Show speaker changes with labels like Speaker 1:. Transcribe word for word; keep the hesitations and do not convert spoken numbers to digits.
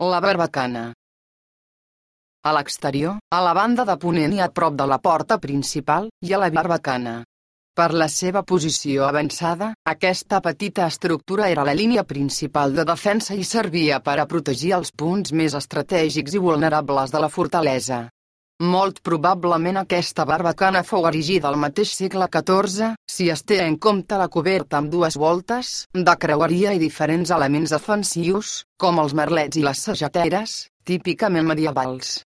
Speaker 1: La barbacana. A l'exterior, a la banda de ponent i a prop de la porta principal, hi ha la barbacana. Per la seva posició avançada, aquesta petita estructura era la línia principal de defensa i servia per a protegir els punts més estratègics i vulnerables de la fortalesa. Molt probablement aquesta barbacana fou erigida al mateix segle catorze, si es té en compte la coberta amb dues voltes, de creueria i diferents elements defensius, com els merlets i les sageteres, típicament medievals.